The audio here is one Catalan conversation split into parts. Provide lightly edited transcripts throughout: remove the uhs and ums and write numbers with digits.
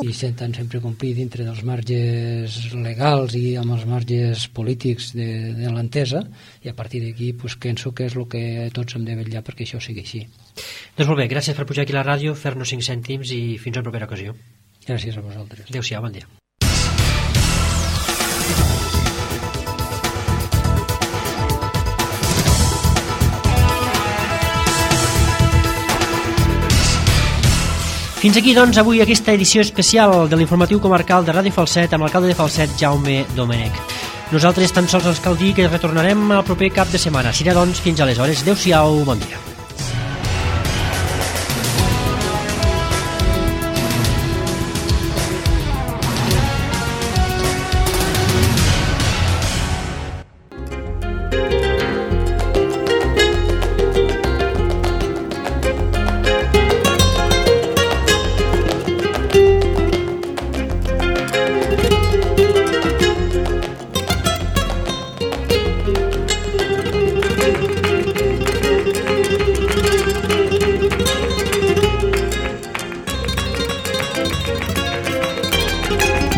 i intentant sempre complir dintre dels marges legals i amb els marges polítics de l'entesa, i a partir d'aquí penso que és el que tots hem de vetllar perquè això sigui així. Doncs molt bé, gràcies per pujar aquí a la ràdio, fer-nos 5 cèntims i fins a la propera ocasió. Gràcies a vosaltres. Adéu-siau, bon dia. Fins aquí, doncs, avui aquesta edició especial de l'informatiu comarcal de Ràdio Falset amb l'alcalde de Falset, Jaume Domènech. Nosaltres tan sols ens cal dir que retornarem el proper cap de setmana. Serà, doncs, fins aleshores. Adéu-siau, bon dia.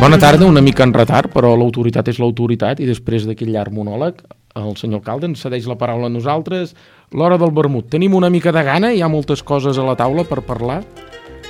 Bona tarda, una mica en retard, però l'autoritat és l'autoritat i després d'aquest llarg monòleg el senyor alcalde ens cedeix la paraula a nosaltres. L'hora del vermut. Tenim una mica de gana, hi ha moltes coses a la taula per parlar,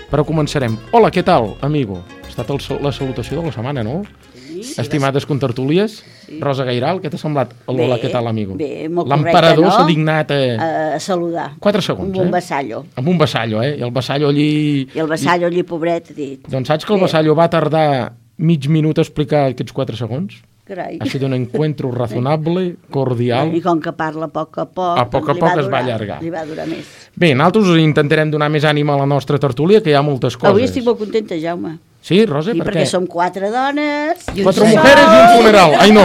però començarem. Hola, què tal, amigo? Ha estat la salutació de la setmana, no? Sí. Estimades contertúlies, sí. Rosa Gairal, què t'ha semblat? Hola, què tal, amigo? Bé, molt correcte, no? L'emperador s'ha dignat a saludar. 4 segons, amb un vassallo. Amb un vassallo, I el vassallo allí... I el vassallo allí, pobret, ha dit. Doncs saps que el vassallo va tardar mig minut a explicar aquests 4 segons? Carai. Ha sido un encuentro razonable, cordial... I com que parla a poc a poc es va allargar. Li va durar més. Bé, nosaltres intentarem donar més ànima a la nostra tertúlia, que hi ha moltes coses. Avui estic molt contenta, Jaume. Sí, Rosa, per què? Perquè som 4 dones... 4 mujeres i un funeral. Ai, no.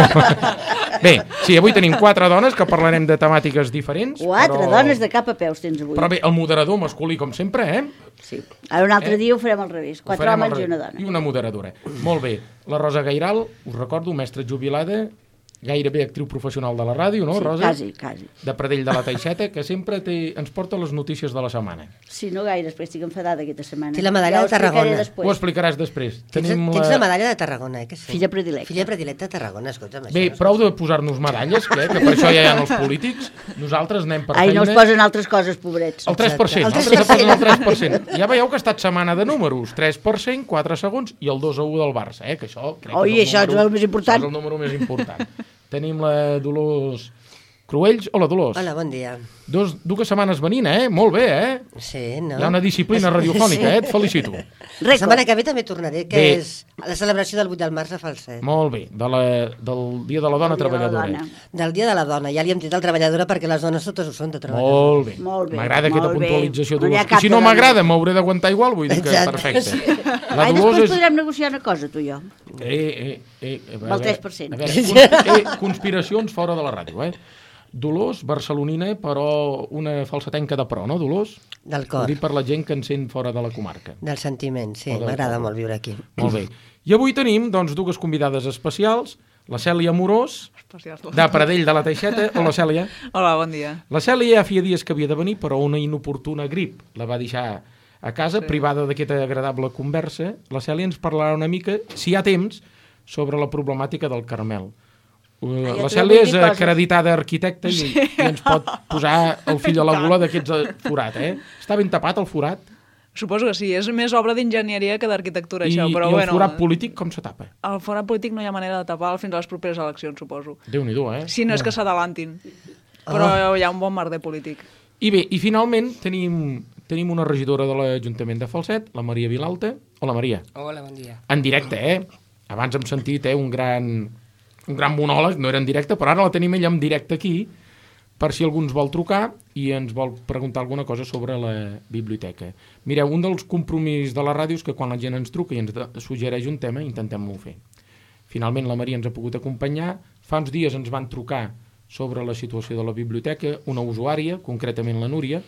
Bé, sí, avui tenim 4 dones que parlarem de temàtiques diferents. 4 dones de cap a peus tens avui. Però bé, el moderador masculí, com sempre, Sí. Ara un altre dia ho farem al revés. 4 homes i una dona. I una moderadora. Molt bé. La Rosa Gairal, us recordo, mestra jubilada, gairebé actriu professional de la ràdio, no, sí, Rosa? Quasi. De Pradell de la Teixeta, que sempre ens porta les notícies de la setmana. Sí, no gaire, perquè estic enfadada aquesta setmana. Té la medalla de Tarragona. Ho explicaràs després. Tens la medalla de Tarragona, que sí. Filla predilecta. Filla predilecta de Tarragona, escolta'm. Bé, prou de posar-nos medalles, que per això ja hi ha els polítics. Nosaltres anem per feina. Ai, no es posen altres coses, pobrets. El 3%, nosaltres posen el 3%. Ja veieu que ha estat setmana de números. 3%, 4 segons i el 2-1 del Barça, que això crec que això és el més important. És el número més important. Tenim la Dolors Cruells. Hola, Dolors. Hola, bon dia. Dues setmanes venint, Molt bé, Sí, no? Hi ha una disciplina radiofònica, Et felicito. La setmana que ve també tornaré, que és la celebració del 8 de març a Falset. Molt bé, del Dia de la Dona Treballadora. Del Dia de la Dona, ja li hem dit el treballadora perquè les dones totes ho són de treballadora. Molt bé. M'agrada aquesta puntualització, Dolors. I si no m'agrada, m'hauré d'aguantar igual, vull dir que perfecte. Ai, després podrem negociar una cosa, tu i jo. El 3%. A veure, conspiracions fora de la ràdio, Dolors, barcelonina, però una falsetenca de pro, no, Dolors? Del cor. Ho dic per la gent que en sent fora de la comarca. Del sentiment, sí, m'agrada molt viure aquí. Molt bé. I avui tenim, doncs, dues convidades especials, la Cèlia Amorós, de Pradell de la Teixeta. Hola, Cèlia. Hola, bon dia. La Cèlia ja feia dies que havia de venir, però una inoportuna grip la va deixar a casa, privada d'aquesta agradable conversa. La Cèlia ens parlarà una mica, si hi ha temps, sobre la problemàtica del Carmel. La Cèlia és acreditada arquitecta i ens pot posar el fill a la gola d'aquests forat, Està ben tapat el forat? Suposo que sí, és més obra d'enginyeria que d'arquitectura, això. I el forat polític com se tapa? El forat polític no hi ha manera de tapar fins a les properes eleccions, suposo. Déu-n'hi-do, Si no és que s'adalantin. Però hi ha un bon merder polític. I bé, i finalment tenim una regidora de l'Ajuntament de Falset, la Maria Vilalta. Hola, Maria. Hola, bon dia. En directe, Abans hem sentit un gran monòleg, no era en directe, però ara la tenim ella en directe aquí, per si algú ens vol trucar i ens vol preguntar alguna cosa sobre la biblioteca. Mireu, un dels compromisos de la ràdio és que quan la gent ens truca i ens suggereix un tema, intentem-lo fer. Finalment la Maria ens ha pogut acompanyar. Fa uns dies ens van trucar sobre la situació de la biblioteca, una usuària, concretament la Núria,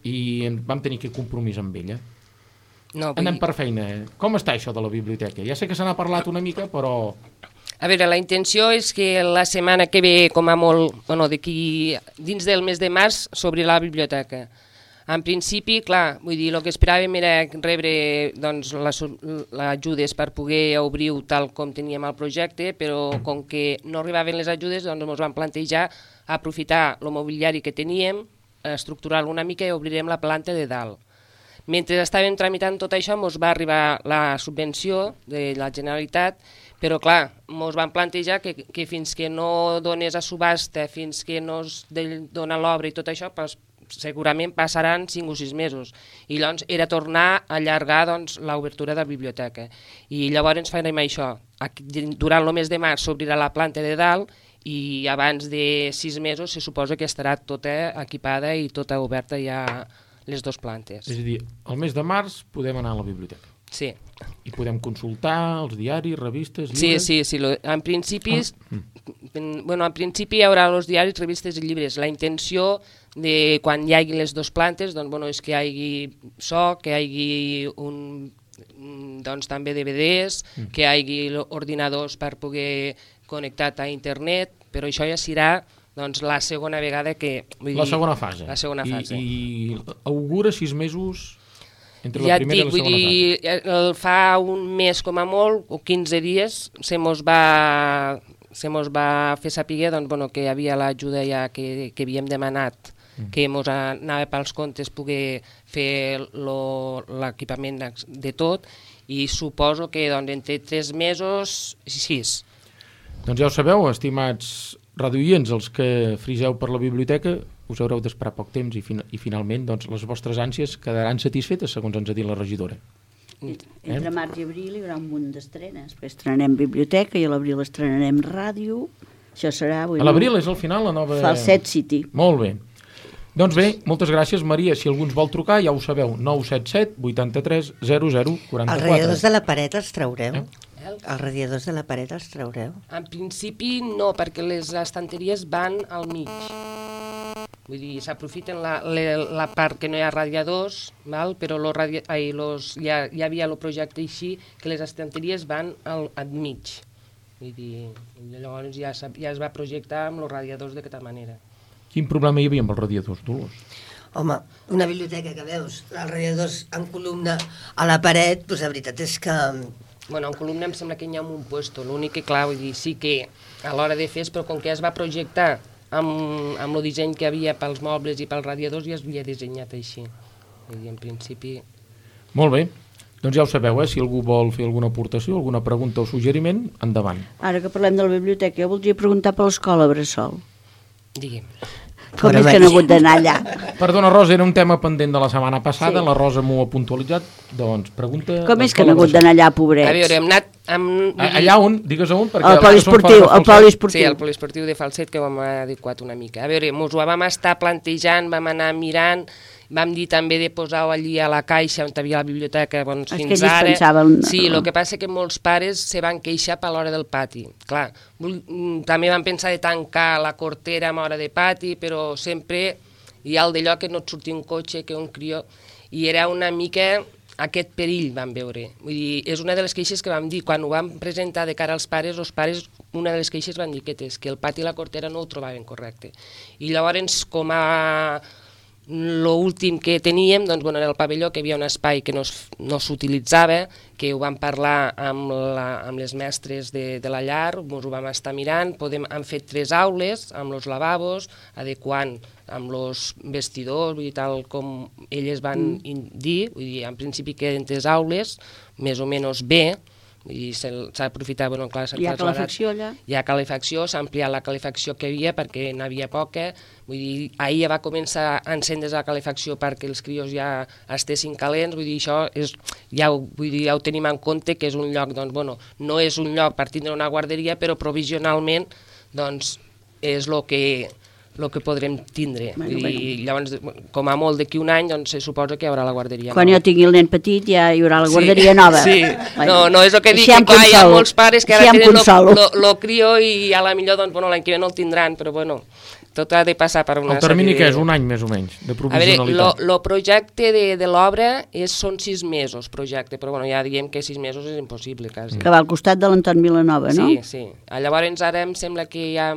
i vam tenir aquest compromís amb ella. Anem per feina. Com està això de la biblioteca? Ja sé que se n'ha parlat una mica, però... A veure, la intenció és que la setmana que ve, com a molt, dins del mes de març, s'obrirà la biblioteca. En principi, clar, vull dir, el que esperàvem era rebre doncs, les ajudes per poder obrir-ho tal com teníem el projecte, però com que no arribaven les ajudes, doncs ens vam plantejar aprofitar el mobiliari que teníem, estructurar-lo una mica i obrirem la planta de dalt. Mentre estàvem tramitant tot això, ens va arribar la subvenció de la Generalitat, però clar, ens vam plantejar que fins que no dones a subhasta, fins que no es dona l'obra i tot això, doncs, segurament passaran 5 o 6 mesos. I llavors era tornar a allargar doncs, l'obertura de la biblioteca. I llavors farem això. Durant el mes de març s'obrirà la planta de dalt i abans de 6 mesos se suposa que estarà tota equipada i tota oberta ja les 2 plantes. És a dir, al mes de març podem anar a la biblioteca. Sí. I podem consultar els diaris, revistes, llibres... Sí. En principi, en principi hi haurà els diaris, revistes i llibres. La intenció de quan hi hagi les 2 plantes és que hi hagi so, que hi hagi doncs, també DVDs, que hi hagi ordinadors per poder connectar a internet, però això ja serà doncs, la segona vegada que... La segona fase. La segona fase. I augura 6 mesos entre ja la primera i la segona fase. Fa un mes com a molt, o 15 dies, se mos va fer saber doncs, que hi havia l'ajuda ja que havíem demanat, que mos anava pels comptes poder fer l'equipament de tot, i suposo que doncs, entre 3 mesos i 6. Doncs ja ho sabeu, estimats radioients, els que friseu per la biblioteca, us haureu d'esperar poc temps i finalment doncs, les vostres ànsies quedaran satisfetes, segons ens ha dit la regidora. Entre març i abril hi haurà un munt d'estrenes. Després estrenarem biblioteca i a l'abril estrenarem ràdio. Això serà... A l'abril és al final la nova... Falset City. Molt bé. Doncs bé, moltes gràcies, Maria. Si algú ens vol trucar, ja ho sabeu, 977 83 00 44. Els radiadors de la paret els traureu? Els radiadors de la paret els traureu? En principi no, perquè les estanteries van al mig. Vull dir, s'aprofiten la part que no hi ha radiadors, val? Però hi havia el projecte així que les estanteries van al mig. Vull dir, llavors ja es va projectar amb els radiadors d'aquesta manera. Quin problema hi havia amb els radiadors, Dolors? Home, una biblioteca que veus, els radiadors en columna a la paret, doncs la veritat és que... Bueno, en columna em sembla que hi ha un puesto, l'únic que, clar, vull dir, sí que a l'hora de fer, però com que es va projectar amb el disseny que hi havia pels mobles i pels radiadors, ja es havia dissenyat així. Vull dir, en principi... Molt bé. Doncs ja ho sabeu, si algú vol fer alguna aportació, alguna pregunta o suggeriment, endavant. Ara que parlem de la biblioteca, jo voldria preguntar per l'escola Bressol. Digue'm. Com és que no he hagut d'anar allà? Perdona, Rosa, era un tema pendent de la setmana passada, sí. La Rosa m'ho ha puntualitzat, doncs pregunta... Com és que no he hagut d'anar allà, pobrets? A veure, hem anat... Allà on? Digues on? El poliesportiu, el poliesportiu. Sí, el poliesportiu de Falset, que ho hem adequat una mica. A veure, mos ho vam estar plantejant, vam anar mirant, vam dir també de posar-ho allí a la caixa on hi havia la biblioteca, doncs fins ara... Sí, el que passa que molts pares se van queixar per l'hora del pati. Clar, també vam pensar de tancar la cortera amb hora de pati, però sempre hi ha el d'allò que no et surti un cotxe, que un crió... I era una mica aquest perill, vam veure. Vull dir, és una de les queixes que vam dir. Quan ho vam presentar de cara als pares, els pares, una de les queixes van dir que el pati i la cortera no ho trobaven correcte. I llavors, com a... L'últim que teníem, doncs, bueno, era el pavelló, que hi havia un espai que no s'utilitzava, que ho vam parlar amb les mestres de la llar, ens ho vam estar mirant, hem fet 3 aules amb els lavabos, adequant amb els vestidors, vull dir, tal com elles van dir, vull dir, en principi queden 3 aules, més o menys bé, i s'ha d'aprofitar, bueno, clar, hi ha calefacció allà? Hi ha calefacció, s'ha ampliat la calefacció que hi havia perquè n'havia poca, vull dir, ahir ja va començar a encendre's la calefacció perquè els crios ja estessin calents, vull dir, això és, ja ho tenim en compte que és un lloc, doncs, bueno, no és un lloc per tindre una guarderia, però provisionalment, doncs, és el que podrem tindre. I llavors, com a molt d'aquí un any, doncs se suposa que hi haurà la guarderia nova. Quan jo tingui el nen petit ja hi haurà la guarderia nova. Sí, no és el que dic, que hi ha molts pares que ara tenen el crió i a la millor, doncs, bueno, l'any que ve no el tindran, però bueno, tot ha de passar per una... El termini que és un any més o menys, de provisionalitat. A veure, el projecte de l'obra són 6 mesos, projecte, però bueno, ja diem que 6 mesos és impossible, quasi. Que va al costat de l'Anton Vilanova, no? Sí. Llavors ara em sembla que hi ha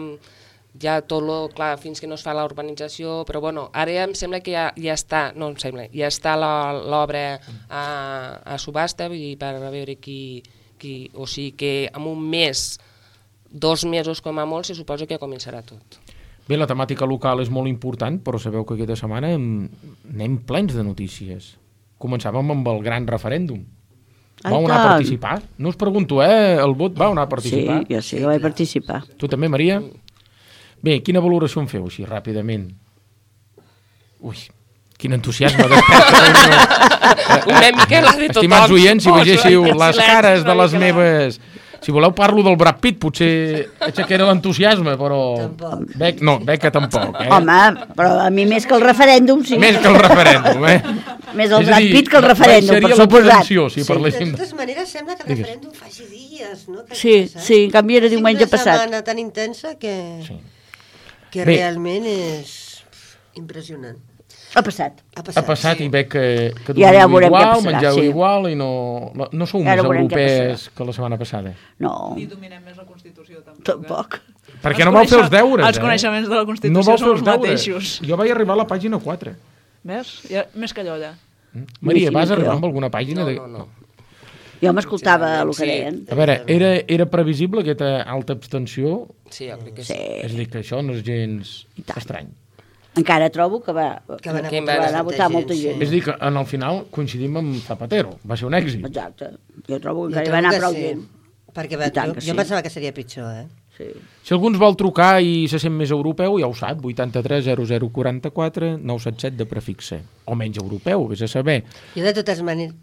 ja tot lo, clar, fins que no es fa la urbanització, però bueno, ara em sembla que ja està, no em sembla, ja està l'obra a subhasta, vull dir, per veure qui, o sigui que en un mes, 2 mesos com a molt, se suposa que començarà tot. Bé, la temàtica local és molt important, però sabeu que aquesta setmana anem plens de notícies. Començàvem amb el gran referèndum. Vau anar a participar? No us pregunto, el vot vau anar a participar? Sí, jo sí que vaig participar. Tu també, Maria? Bé, quina valoració en feu, així, ràpidament? Ui, quin entusiasme desperta. Una mica la de tothom. Estimats oients, si vegéssiu les cares de les meves... Si voleu parlo del Brad Pitt, potser aixecaré l'entusiasme, però... Beca tampoc, Home, però a mi més que el referèndum, sí. Més que el referèndum, Més el Brad Pitt que el referèndum, per suposat. Si parléssim... De totes maneres, sembla que el referèndum faci dies, no? Sí, en canvi era diumenge passat. Una setmana tan intensa que realment és impressionant. Ha passat. Ha passat i veig que dormiu igual, mengeu igual i no sou més europees que la setmana passada. No. Ni dominem més la Constitució, tampoc. Perquè no vau fer els deures, Els coneixements de la Constitució són els mateixos. Jo vaig arribar a la pàgina 4. Ves? Més que allò, allà. Maria, vas arribar amb alguna pàgina? No. Jo m'escoltava el que deien. A veure, era previsible aquesta alta abstenció? Sí, jo crec que sí. És a dir, que això no és gens estrany. Encara trobo que va anar a votar molta gent. És a dir, que en el final coincidim amb Zapatero. Va ser un èxit. Exacte. Jo trobo que encara va anar prou gent. Perquè jo pensava que seria pitjor, Sí. Si algú ens vol trucar i se sent més europeu, ja ho sap, 83 0044 977 de prefixe. O menys europeu, vés a saber. Jo de totes maneres...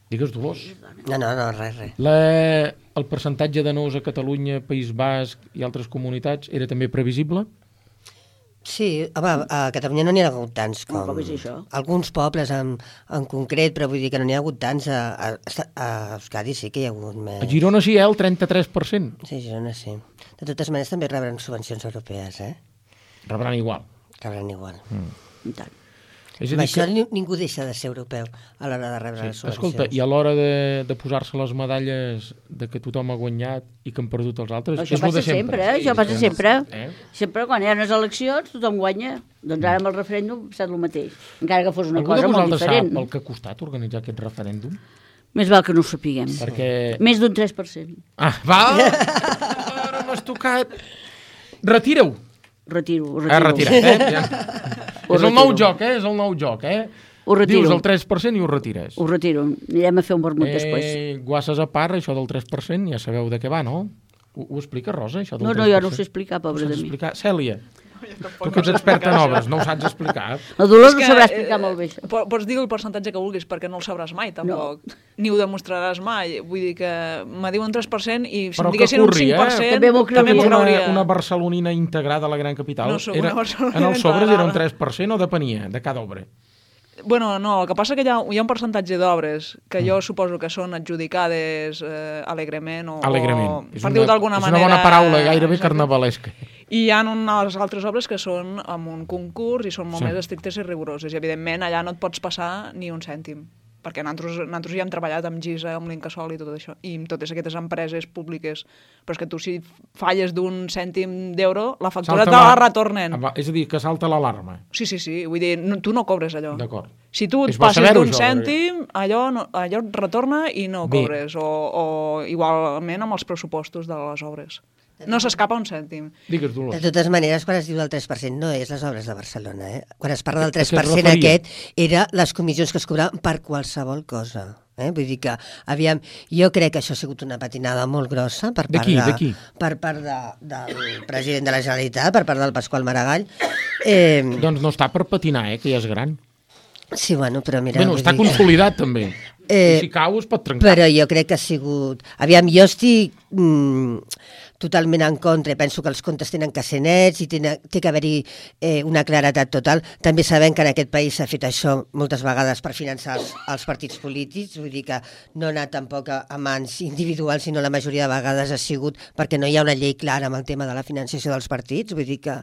Digues, Dolors. No, res. El percentatge de nous a Catalunya, País Basc i altres comunitats era també previsible? Sí, home, a Catalunya no n'hi ha hagut tants com... Com és això? Alguns pobles en concret, però vull dir que no n'hi ha hagut tants. A Euskadi sí que hi ha hagut més. A Girona sí, el 33%. Sí, a Girona sí. De totes maneres també rebran subvencions europees, Rebran igual. Rebran igual. I tant. És amb això ningú deixa de ser europeu a l'hora de rebre les subvencions. Escolta, i a l'hora de posar-se les medalles de que tothom ha guanyat i que han perdut els altres... Això passa sempre, això passa sempre. Sempre quan hi ha unes eleccions tothom guanya. Doncs ara amb el referèndum ha estat el mateix. Encara que fos una cosa molt diferent. Algú de vosaltres sap el que ha costat organitzar aquest referèndum? Més val que no ho sapiguem. Més d'un 3%. Val! Ara m'has tocat... Retira-ho! Retiro. Retirat, És el nou joc, És el nou joc, Ho retiro. Dius el 3% i ho retires. Ho retiro. Anirem a fer un vermut després. Guasses a part, això del 3%, ja sabeu de què va, no? Ho explica, Rosa, això del 3%? No, jo no ho sé explicar, pobre de mi. Cèlia, tu que ets experta en obres, no ho saps explicar. La Dolors ho sabrà explicar molt bé, això. Pots dir el percentatge que vulguis, perquè no el sabràs mai, tampoc. No. Ni ho demostraràs mai. Vull dir que me diuen 3% i si em diguessin un 5%... També m'ho creuria. Una barcelonina integrada a la gran capital. No soc una barcelonina en els sobres era un 3% o depenia de cada obra? Bueno, no, el que passa que hi ha un percentatge d'obres que jo suposo que són adjudicades alegrement o... Alegrement. Per dir-ho d'alguna manera... És una bona paraula, gairebé carnavalesca. I hi ha unes altres obres que són amb un concurs i són molt més estrictes i rigoroses. I, evidentment, allà no et pots passar ni un cèntim. Perquè nosaltres ja hem treballat amb GISA, amb l'Incasòl i tot això, i amb totes aquestes empreses públiques. Però és que tu, si falles d'un cèntim d'euro, la factura te la retornen. És a dir, que salta l'alarma. Sí. Vull dir, tu no cobres allò. D'acord. Si tu et passes d'un cèntim, allò et retorna i no cobres. O igualment amb els pressupostos de les obres. No s'escapa un cèntim. Digues, Dolors. De totes maneres, quan es diu del 3%, no és les obres de Barcelona. Quan es parla del 3% aquest, era les comissions que es cobraven per qualsevol cosa. Vull dir que, aviam, jo crec que això ha sigut una patinada molt grossa per part per part del president de la Generalitat, per part del Pasqual Maragall. Doncs no està per patinar, que ja és gran. Sí, bueno, però mira... Bueno, està consolidat, també. Si cau es pot trencar. Però jo crec que ha sigut... Aviam, jo estic totalment en contra, penso que els comptes tenen que ser nets i té que haver-hi una claretat total. També sabem que en aquest país s'ha fet això moltes vegades per finançar els partits polítics, vull dir que no ha anat tampoc a mans individuals, sinó la majoria de vegades ha sigut perquè no hi ha una llei clara amb el tema de la financiació dels partits, vull dir que...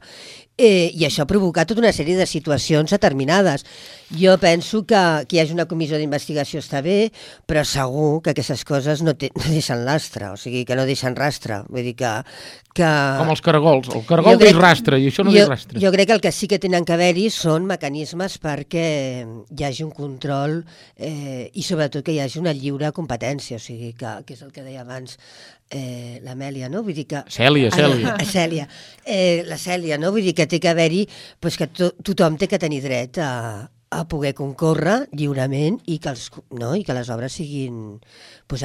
I això ha provocat tota una sèrie de situacions determinades. Jo penso que hi hagi una comissió d'investigació està bé, però segur que aquestes coses no deixen lastre, o sigui, que no deixen rastre. Vull dir que Com els caragols. El caragol deix rastre i això no deix rastre. Jo crec que el que sí que tenen que haver-hi són mecanismes perquè hi hagi un control i sobretot que hi hagi una lliure competència, o sigui, que és el que deia abans l'Amèlia, no? Vull dir que... Cèlia. La Cèlia, no? Vull dir que té que haver-hi que tothom té que tenir dret a poder concórrer lliurement i que les obres siguin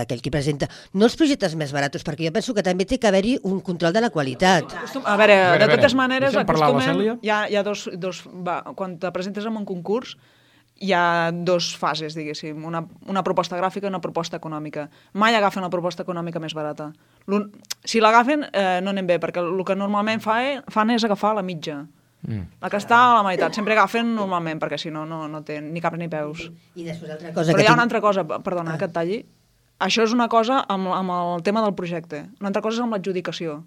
aquell que presenta. No els projectes més barats, perquè jo penso que també té que haver-hi un control de la qualitat. A veure, de totes maneres, acostumem... Hi ha dos... Quan te presentes en un concurs, hi ha dues fases, diguéssim, una proposta gràfica i una proposta econòmica. Mai agafen la proposta econòmica més barata. Si l'agafen, no anem bé, perquè el que normalment fan és agafar la mitja. La que està a la meitat. Sempre agafen normalment, perquè si no, no té ni caps ni peus. I després altra cosa Però hi ha una altra cosa, perdona, que et talli. Això és una cosa amb el tema del projecte. Una altra cosa és amb l'adjudicació.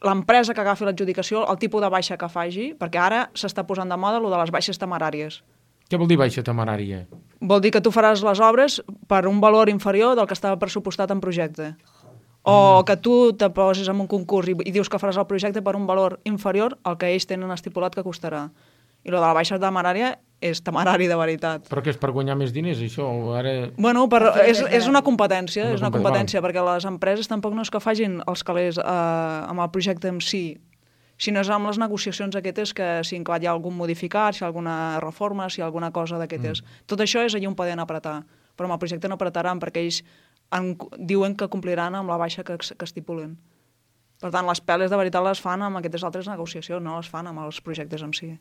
L'empresa que agafi l'adjudicació, el tipus de baixa que faci, perquè ara s'està posant de moda el de les baixes temeràries. Què vol dir baixa temerària? Vol dir que tu faràs les obres per un valor inferior del que estava pressupostat en projecte. O que tu te poses en un concurs i dius que faràs el projecte per un valor inferior al que ells tenen estipulat que costarà. I lo de la baixa temerària és temerari de veritat. Però que és per guanyar més diners, això? Bueno, és una competència, perquè les empreses tampoc no és que facin els calés amb el projecte en si, sinó és amb les negociacions aquestes que si hi ha algun modificat, si hi ha alguna reforma, si hi ha alguna cosa d'aquestes. Tot això és allà on poden apretar, però amb el projecte no apretaran perquè ells diuen que compliran amb la baixa que estipulen. Per tant, les peles de veritat les fan amb aquestes altres negociacions, no les fan amb els projectes en si.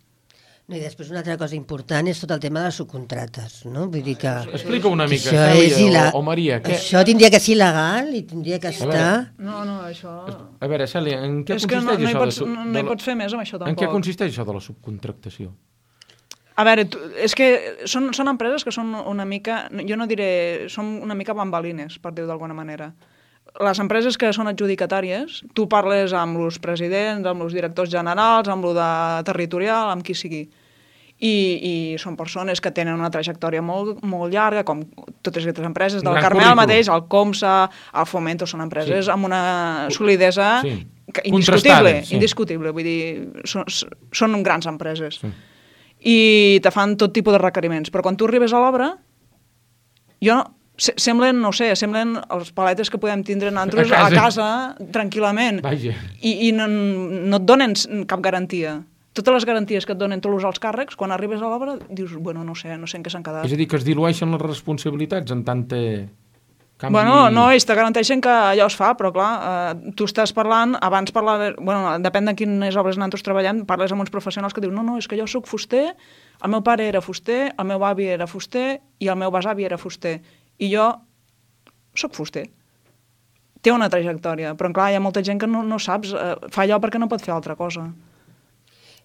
No, i després una altra cosa important és tot el tema de les subcontrates, no? Vull dir que... Explica una mica, Cèlia o Maria. Això tindria que ser il·legal i tindria que estar... No, això... A veure, Cèlia, en què consisteix això? No hi pots fer més amb això, tampoc. En què consisteix això de la subcontractació? A veure, és que són empreses que són una mica... Jo no diré... Són una mica bambalines, per dir-ho d'alguna manera. Les empreses que són adjudicatàries, tu parles amb els presidents, amb els directors generals, amb el de territorial, amb qui sigui. I són persones que tenen una trajectòria molt, molt llarga, com totes aquestes empreses, del Carmel mateix, el Comsa, el Fomento, són empreses amb una solidesa indiscutible. Vull dir, són grans empreses. I te fan tot tipus de requeriments. Però quan tu arribes a l'obra, semblen els paletes que podem tindre nosaltres a casa tranquil·lament. I no et donen cap garantia. Totes les garanties que et donen tots els alts càrrecs, quan arribes a l'obra, dius, bueno, no sé en què s'han quedat. És a dir, que es dilueixen les responsabilitats en tanta canvi... Bueno, no, ells te garanteixen que allò es fa, però clar, tu estàs parlant, abans parlaves... Bueno, depèn de quines obres nosaltres treballem, parles amb uns professionals que diuen, no, és que jo soc fuster, el meu pare era fuster, el meu avi era fuster i el meu besavi era fuster. I jo soc fuster. Té una trajectòria, però clar, hi ha molta gent que no saps, fa allò perquè no pot fer altra cosa.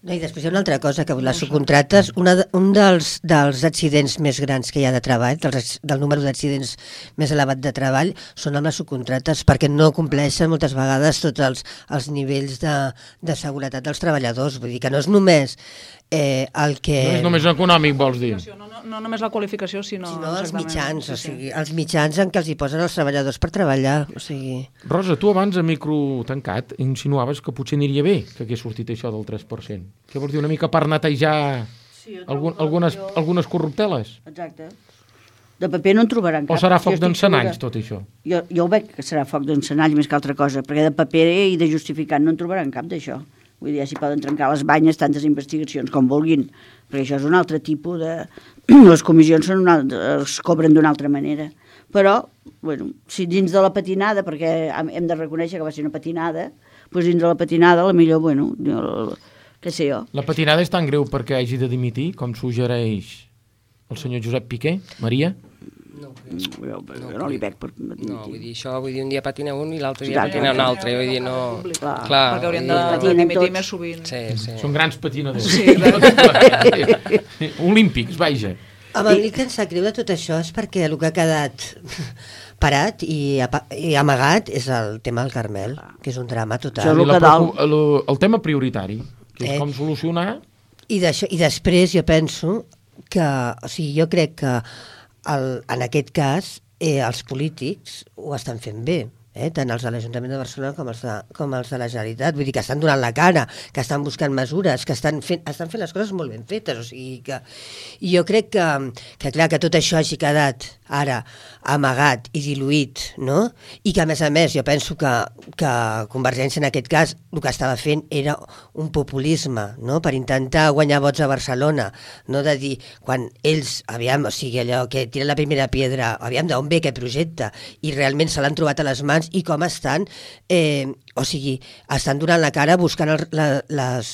No, i després hi ha una altra cosa, que les subcontrates, un dels accidents més grans que hi ha de treball, del número d'accidents més elevat de treball, són amb les subcontrates, perquè no compleixen moltes vegades tots els nivells de seguretat dels treballadors. Vull dir que no és només el que... No és només econòmic, vols dir? No només la qualificació, sinó els mitjans, o sigui, els mitjans en què els hi posen els treballadors per treballar, o sigui... Rosa, tu abans a micro tancat insinuaves que potser aniria bé que hagués sortit això del 3%. Què vols dir, una mica per netejar algunes corrupteles? Exacte. De paper no en trobaran cap. O serà foc d'encenalls, tot això? Jo ho veig que serà foc d'encenalls més que altra cosa, perquè de paper i de justificant no en trobaran cap d'això. Vull dir, ja s'hi poden trencar les banyes tantes investigacions com vulguin, perquè això és un altre tipus de... Les comissions es cobren d'una altra manera. Però, bueno, si dins de la patinada, perquè hem de reconèixer que va ser una patinada, doncs dins de la patinada, la millor, bueno, què sé jo. La patinada és tan greu perquè hagi de dimitir, com suggereix el senyor Josep Piqué? Maria? No li veig per... No, vull dir, això, un dia patina un i l'altre dia patina un altre, vull dir, no... Clar, perquè haurien de dimitir més sovint. Sí. Són grans patinadors. Olímpics, vaja. A mi el que em sap greu de tot això és perquè el que ha quedat parat i amagat és el tema del Carmel, que és un drama total. El tema prioritari, que és com solucionar... I després jo penso que, o sigui, jo crec que en aquest cas els polítics ho estan fent bé, tant els de l'Ajuntament de Barcelona com els de la Generalitat. Vull dir que estan donant la cara, que estan buscant mesures, que estan fent les coses molt ben fetes. O sigui que jo crec que clar, que tot això hagi quedat ara amagat i diluït, no? I que a més jo penso que Convergència en aquest cas el que estava fent era un populisme, no? Per intentar guanyar vots a Barcelona, no? De dir, quan ells, o sigui, allò que tiren la primera pedra, d'on ve aquest projecte, i realment se l'han trobat a les mans i com estan, o sigui, estan donant la cara buscant les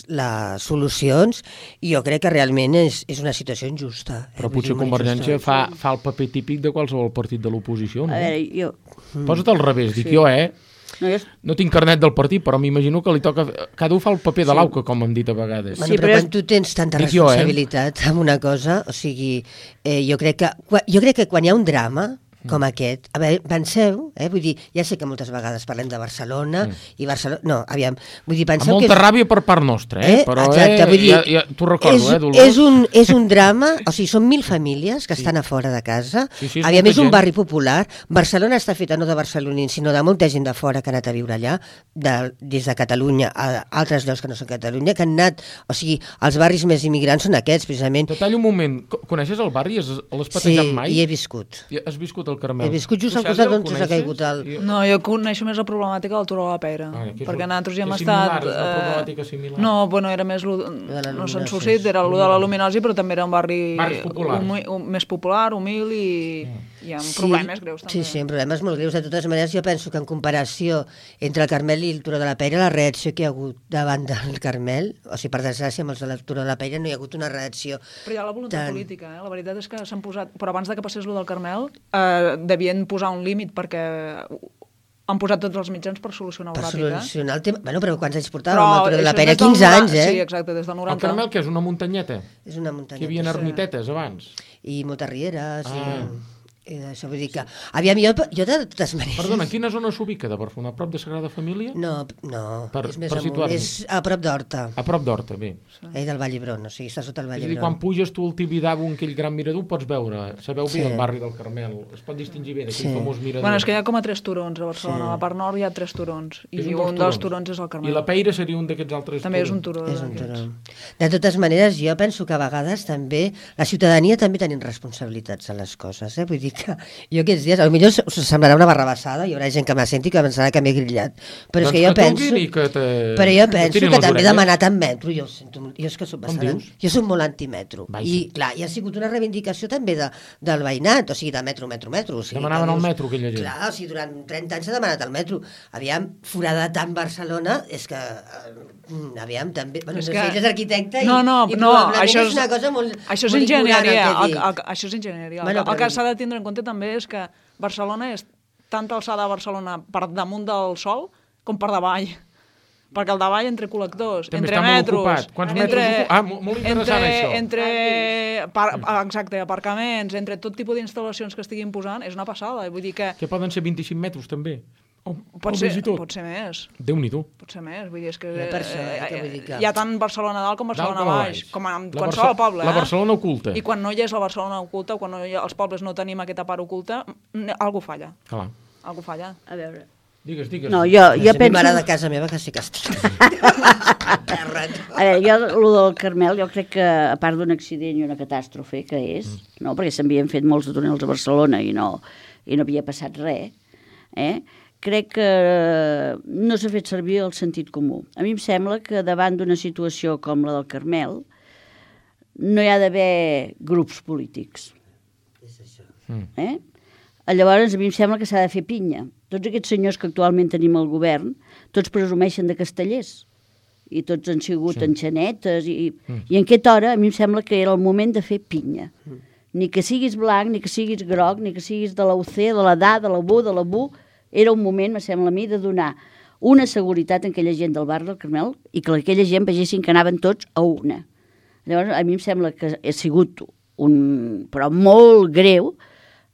solucions, i jo crec que realment és una situació injusta. Però potser Convergència fa el paper típic de qualsevol partit de l'oposició, no? A veure, jo... Posa't al revés, dic jo, no tinc carnet del partit, però m'imagino que li toca... Cada un fa el paper de l'auca, com hem dit a vegades. Bueno, però quan tu tens tanta responsabilitat amb una cosa, o sigui, jo crec que quan hi ha un drama com aquest, a veure, penseu, vull dir, ja sé que moltes vegades parlem de Barcelona i Barcelona... No, aviam, vull dir, penseu que... Amb molta ràbia per part nostra, però exacte, vull dir, t'ho recordo, Dolors. És un drama, o sigui, són 1.000 famílies que estan a fora de casa, aviam, és un barri popular, Barcelona està feta no de barcelonins, sinó de molta gent de fora que ha anat a viure allà, des de Catalunya a altres llocs que no són Catalunya, que han anat, o sigui, els barris més immigrants són aquests, precisament. Te tallo un moment, coneixes el barri? L'has patejat mai? Sí, hi he viscut. Has viscut el Carmel? He viscut just al costat d'on s'ha caigut el... No, jo coneixo més la problemàtica del Turó de la Peira, perquè nosaltres ja hem estat... És una problemàtica similar? No, bueno, era més... No se'n suscit, era el de la luminosi, però també era un barri més popular, humil, i amb problemes greus també. Sí, amb problemes molt greus. De totes maneres, jo penso que en comparació entre el Carmel i el Turó de la Peira, la reacció que hi ha hagut davant del Carmel, o sigui, per desgràcia, amb els del Turó de la Peira no hi ha hagut una reacció... Però hi ha la voluntat política, la veritat és que s'han posat... Però abans que passés lo del Carmel, devien posar un límit perquè han posat tots els mitjans per solucionar-ho ràpid. Per solucionar el tema... Bueno, però quants anys portàvem el Turó de la Peira? 15 anys, Sí, exacte, des del 90. El Carmel, que és una muntanyeta? És una muntanyeta. Que hi havia ermitetes abans? I moltes rieres... Això vull dir que... Aviam, jo de totes maneres... Perdona, en quina zona s'ubica de Barcelona? A prop de Sagrada Família? No, és més amunt, és a prop d'Horta. A prop d'Horta, bé. Del Vall d'Hebron, o sigui, està sota el Vall d'Hebron. És a dir, quan puges tu al Tibidabo, aquell gran mirador, pots veure, sabeu bé el barri del Carmel, es pot distingir bé d'aquell famós mirador. Bueno, és que hi ha com a 3 turons a Barcelona, a la part nord hi ha 3 turons, i un dels turons és el Carmel. I la Peira seria un d'aquests altres turons? També és un turó. És un turó. De totes maneres, jo penso que a vegades també, la ciutadania també tenim responsabilitats a les coses, vull dir que jo aquests dies, potser us semblarà una barrabassada, hi haurà gent que m'ha sentit que pensarà que m'he grillat, però és que jo penso que també he demanat en metro, jo és que soc bastant... Jo soc molt antimetro, i clar, hi ha sigut una reivindicació també del veïnat, o sigui, de metro. Demanaven el metro, aquella gent. Clar, o sigui, durant 30 anys s'ha demanat el metro. Aviam, forada tant Barcelona, és que... Aviam, també... Bueno, no sé, ell és arquitecte i probablement és una cosa molt... Això és enginyeria, això és enginyeria. El que s'ha de tindre en compte també és que Barcelona és tanta alçada a Barcelona per damunt del sol com per davall. Perquè el davall entre col·lectors, entre metros... Quants metres ocupat? Molt interessant això. Exacte, aparcaments, entre tot tipus d'instal·lacions que estiguin posant, és una passada. Vull dir que poden ser 25 metres també. Pot ser més. Déu-n'hi-do. Pot ser més, vull dir, és que hi ha tant Barcelona dalt com Barcelona baix, com en qualsevol poble. La Barcelona oculta. I quan no hi és la Barcelona oculta, quan els pobles no tenim aquesta part oculta, algú falla. Clar. Algú falla. A veure... Digues. No, jo penso... A mi m'agrada de casa meva que sí que estic. A veure, jo, el del Carmel, jo crec que, a part d'un accident i una catàstrofe, que és, no? Perquè s'havien fet molts de túnels a Barcelona i no havia passat res, crec que no s'ha fet servir el sentit comú. A mi em sembla que davant d'una situació com la del Carmel no hi ha d'haver grups polítics. És això. Llavors, a mi em sembla que s'ha de fer pinya. Tots aquests senyors que actualment tenim al govern, tots presumeixen de castellers. I tots han sigut enxanetes. I en aquesta hora, a mi em sembla que era el moment de fer pinya. Ni que siguis blanc, ni que siguis groc, ni que siguis de la UC, de la DA, de la BU, de la BU. Era un moment, me sembla a mi, de donar una seguretat a aquella gent del barri del Carmel i que aquella gent vegessin que anaven tots a una. Llavors, a mi em sembla que ha sigut però molt greu,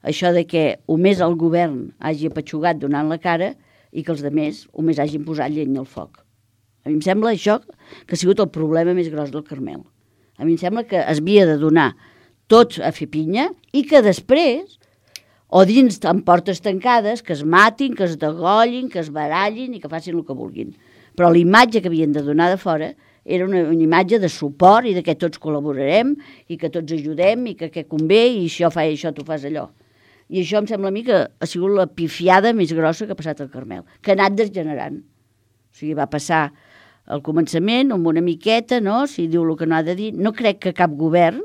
això de que només el govern hagi apatxugat donant la cara i que els altres només hagin posat llenya al foc. A mi em sembla això que ha sigut el problema més gros del Carmel. A mi em sembla que es havia de donar tots a fer pinya i que després, o dins amb portes tancades, que es matin, que es degollin, que es barallin i que facin el que vulguin. Però la imatge que havien de donar de fora era una imatge de suport i de que tots col·laborarem i que tots ajudem i que convé i això fa això, tu fas allò. I això em sembla a mi que ha sigut la pifiada més grossa que ha passat al Carmel, que ha anat degenerant. O sigui, va passar al començament amb una miqueta, no?, si diu el que no ha de dir. No crec que cap govern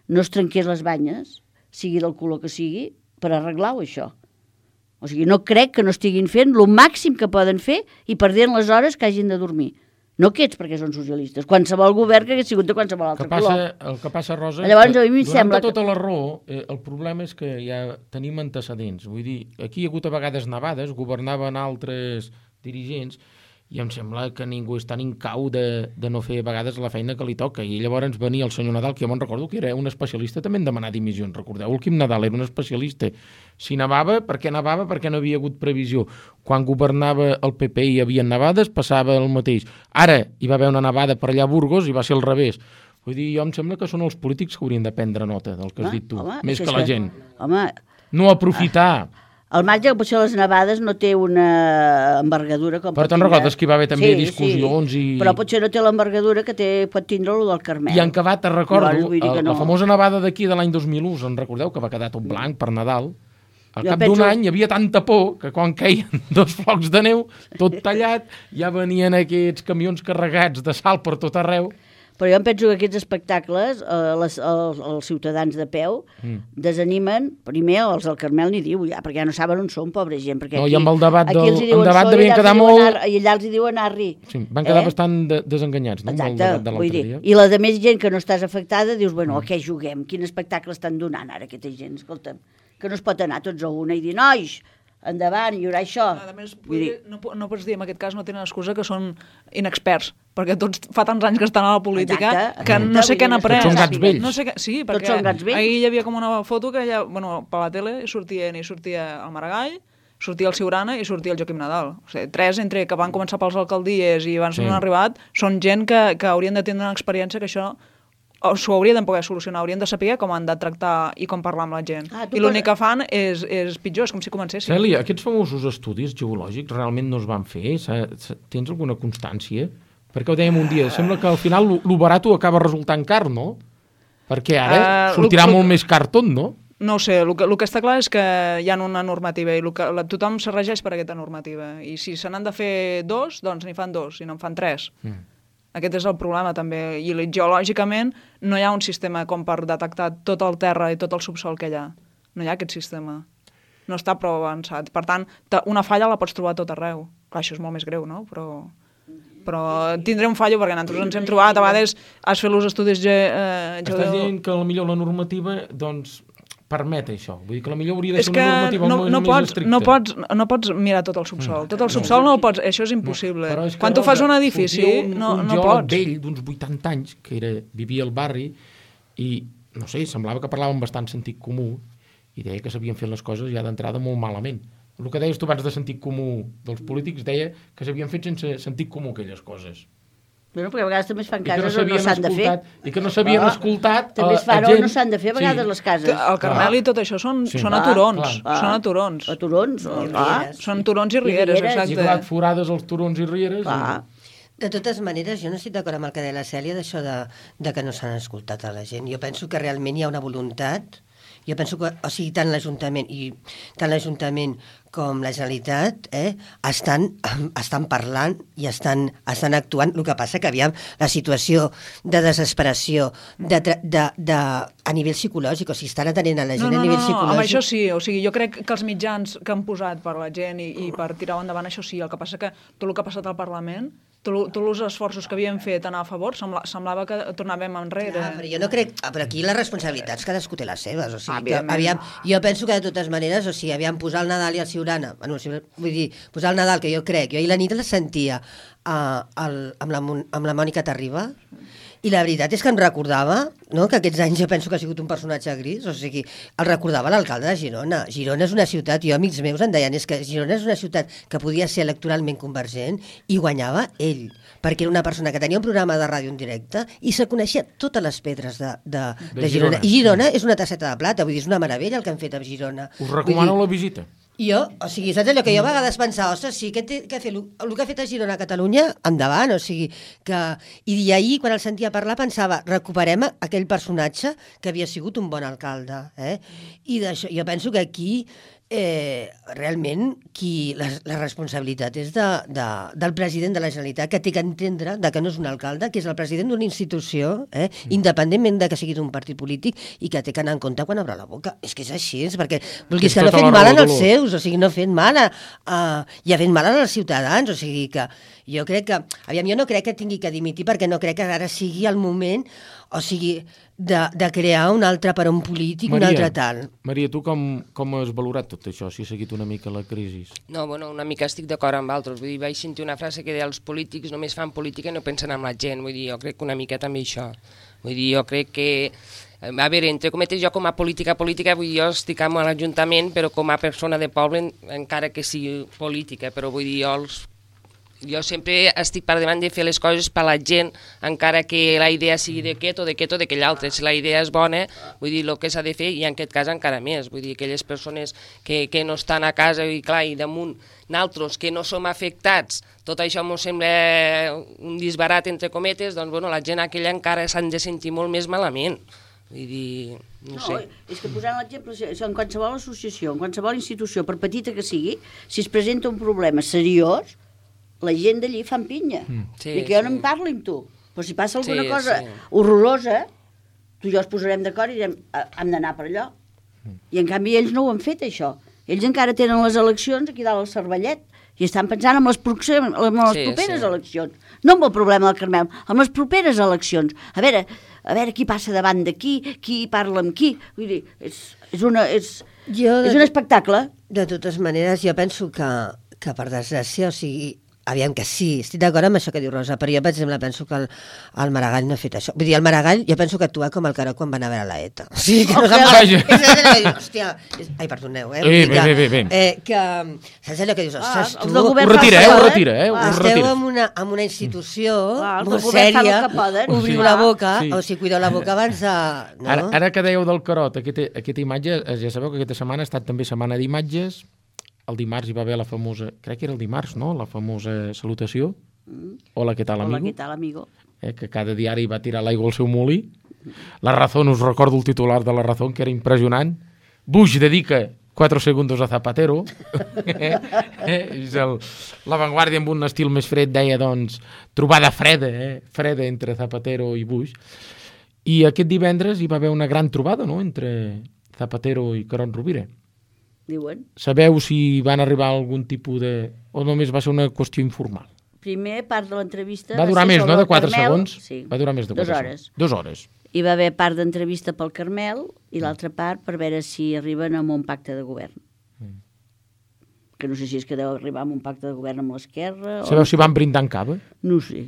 no es trenqués les banyes, sigui del color que sigui, per arreglar-ho, això. O sigui, no crec que no estiguin fent el màxim que poden fer i perdent les hores que hagin de dormir. No aquests perquè són socialistes, qualsevol govern que hagués sigut de qualsevol altre color. El que passa, Rosa, llavors, a mi sembla tota la raó, el problema és que ja tenim antecedents. Vull dir, aquí hi ha hagut a vegades nevades, governaven altres dirigents, i em sembla que ningú és tan incau de no fer a vegades la feina que li toca. I llavors venia el senyor Nadal, que jo me'n recordo que era un especialista també en demanar dimissions. Recordeu, el Quim Nadal era un especialista. Si nevava, perquè nevava? Perquè no havia hagut previsió. Quan governava el PP i hi havia nevades, passava el mateix. Ara hi va haver una nevada per allà a Burgos i va ser al revés. Vull dir, jo em sembla que són els polítics que haurien de prendre nota del que has dit tu, més que la gent. No aprofitar... El marge que potser les nevades no té una envergadura com però te'n recordes que hi va haver també discussions i... Però potser no té l'envergadura que pot tindre el del Carmel. I en acabat, te'n recordo, la famosa nevada d'aquí de l'any 2001, en recordeu, que va quedar tot blanc per Nadal? Al cap d'un any hi havia tanta por que quan queien 2 flocs de neu, tot tallat, ja venien aquests camions carregats de sal per tot arreu. Però jo em penso que aquests espectacles, els ciutadans de peu, desanimen, primer, els del Carmel ni diu, ja, perquè ja no saben on són, pobra gent. Perquè i amb el debat devien quedar molt... I allà els hi diuen arri. Sí, van quedar bastant desenganyats, no? Exacte, vull dir. I la de més gent que no estàs afectada, dius, bueno, a què juguem? Quin espectacle estan donant ara aquesta gent? Escolta'm, que no es pot anar tots a una i dir, nois, endavant, hi haurà això. A més, no pots dir, en aquest cas no tenen excusa que són inexperts, perquè tots fa tants anys que estan a la política que no sé què han après. Tots són gats vells. No sé què, sí, perquè ahir hi havia com una foto que per la tele sortia el Maragall, sortia el Ciurana i sortia el Joaquim Nadal. O sigui, 3 entre que van començar pels alcaldies i abans no han arribat, són gent que haurien de tenir una experiència que això s'ho haurien de poder solucionar, haurien de saber com han de tractar i com parlar amb la gent. I l'únic que fan és pitjor, és com si comencessin. Cèlia, aquests famosos estudis geològics realment no es van fer? Tens alguna constància? Perquè ho dèiem un dia, sembla que al final lo barat acaba resultant car, no? Perquè ara sortirà molt més car tot, no? No ho sé, el que està clar és que hi ha una normativa i tothom se regeix per aquesta normativa. I si se n'han de fer 2, doncs n'hi fan 2, i no en fan 3. Aquest és el problema també, i geològicament no hi ha un sistema com per detectar tot el terra i tot el subsol que hi ha. No hi ha aquest sistema. No està prou avançat. Per tant, una falla la pots trobar a tot arreu. Clar, això és molt més greu, no? Però tindré un fallo perquè nosaltres ens hem trobat, a vegades has fet els estudis Estàs dient que potser la normativa, doncs, permet això. Vull dir que potser hauria de ser una normativa més estricta. No pots mirar tot el subsol. Tot el subsol no el pots, això és impossible. Quan tu fas un edifici, no pots. Un geòleg vell d'uns 80 anys, que vivia al barri, i, no sé, semblava que parlava amb bastant sentit comú, i deia que s'havien fet les coses ja d'entrada molt malament. El que deies tu abans de sentit comú dels polítics deia que s'havien fet sense sentit comú aquelles coses. Bueno, perquè a vegades també es fan cases on no s'han de fer. I que no s'havien escoltat també es fan on no s'han de fer a vegades les cases. El Carmel i tot això són a turons. Són a turons. A turons. Són turons i rieres, exacte. I clar, forades els turons i rieres. De totes maneres, jo no estic d'acord amb el que deia la Cèlia d'això de que no s'han escoltat a la gent. Jo penso que realment hi ha una voluntat. Jo penso que, o sigui, tant l'Ajuntament com la Generalitat estan parlant i estan actuant. El que passa que, aviam, la situació de desesperació a nivell psicològic, o sigui, estan atenent a la gent a nivell psicològic. Amb això sí, o sigui, jo crec que els mitjans que han posat per la gent i per tirar endavant això sí, el que passa que tot el que ha passat al Parlament, tots els esforços que havíem fet anar a favor, semblava que tornàvem enrere. Però jo no crec... Però aquí les responsabilitats cadascú té les seves, o sigui, jo penso que de totes maneres, o sigui, posar el Nadal i el Ciurana, vull dir, posar el Nadal, que jo crec, jo ahir la nit la sentia amb la Mònica Terriba, I la veritat és que em recordava, no?, que aquests anys jo penso que ha sigut un personatge gris, o sigui, el recordava l'alcalde de Girona. Girona és una ciutat, jo amics meus em deien, és que Girona és una ciutat que podia ser electoralment convergent i guanyava ell, perquè era una persona que tenia un programa de ràdio en directe i se coneixia totes les pedres de Girona. I Girona és una tasseta de plata, vull dir, és una meravella el que han fet a Girona. Us recomano la visita. Jo, o sigui, saps allò que jo a vegades pensava, ostres, sí, el que ha fet a Girona a Catalunya, endavant, o sigui, que... I ahir, quan el sentia parlar, pensava, recuperem aquell personatge que havia sigut un bon alcalde, I d'això, jo penso que aquí realment la responsabilitat és del president de la Generalitat, que té que entendre que no és un alcalde, que és el president d'una institució, independentment de que sigui d'un partit polític, i que té que anar en compte quan obre la boca. És que és així, perquè vulguis que no ha fet mal als seus, o sigui, no ha fet mal i ha fet mal als ciutadans, o sigui que jo crec que, jo no crec que tingui que dimitir, perquè no crec que ara sigui el moment, o sigui, de crear un altre per a un polític, un altre tal. Maria, tu com has valorat tot això, si has seguit una mica la crisi? No, bueno, una mica estic d'acord amb altres. Vull dir, vaig sentir una frase que deia els polítics només fan política i no pensen en la gent. Vull dir, jo crec que una mica també això. Vull dir, jo crec que... A veure, entre cometes, jo com a política, vull dir, jo estic amb l'Ajuntament, però com a persona de poble, encara que sigui política, però vull dir, jo sempre estic per davant de fer les coses per la gent, encara que la idea sigui d'aquest o d'aquell altre. Si la idea és bona, vull dir, el que s'ha de fer, i en aquest cas encara més, vull dir, aquelles persones que no estan a casa i clar, i damunt naltros que no som afectats, tot això m'ho sembla un disbarat entre cometes, doncs bueno, la gent aquella encara s'han de sentir molt més malament. Vull dir, no sé. És que posant l'exemple, en qualsevol associació, en qualsevol institució, per petita que sigui, si es presenta un problema seriós, la gent d'allí fan pinya. I que jo no em parli amb tu. Però si passa alguna cosa horrorosa, tu i jo es posarem d'acord i direm, hem d'anar per allò. I en canvi ells no ho han fet, això. Ells encara tenen les eleccions aquí dalt al Cervellet i estan pensant en les properes eleccions. No amb el problema del Carmel, amb les properes eleccions. A veure qui passa davant de qui parla amb qui. Vull dir, és un espectacle. De totes maneres, jo penso que per desgràcia, o sigui, aviam que sí, estic d'acord amb això que diu Rosa, però jo, per exemple, penso que el Maragall no ha fet això. Vull dir, el Maragall, jo penso que actua com el Caró quan van a veure la ETA. O sigui, que no hòstia, ai, perdoneu, Bé. Que, saps allò que dius, ostres, tu... Ho retira. Esteu en una institució molt sèria, obriu la boca, o sigui, cuideu la boca abans de... Ara que dèieu del Carot, aquesta imatge, ja sabeu que aquesta setmana ha estat també setmana d'imatges. El dimarts hi va haver la famosa, crec que era el dimarts, no?, la famosa salutació. Hola, ¿qué tal, amigo? Hola, ¿qué tal, amigo? Que cada diari va tirar l'aigua al seu molí. La Razón, us recordo el titular de La Razón, que era impressionant. Bush dedica 4 segundos a Zapatero. La Vanguardia, amb un estil més fred, deia, doncs, trobada freda entre Zapatero i Bush. I aquest divendres hi va haver una gran trobada, no?, entre Zapatero i Carod Rovira. Diuen. Sabeu si van arribar a algun tipus de... o només va ser una qüestió informal? Primer part de l'entrevista... Va durar més, no?, de 4 segons? Sí. Va durar més de 4 segons. 2 hores. Hi va haver part d'entrevista pel Carmel i l'altra part per veure si arriben a un pacte de govern. Que no sé si és que deu arribar a un pacte de govern amb l'Esquerra... Sabeu si van brindar en cava? No sé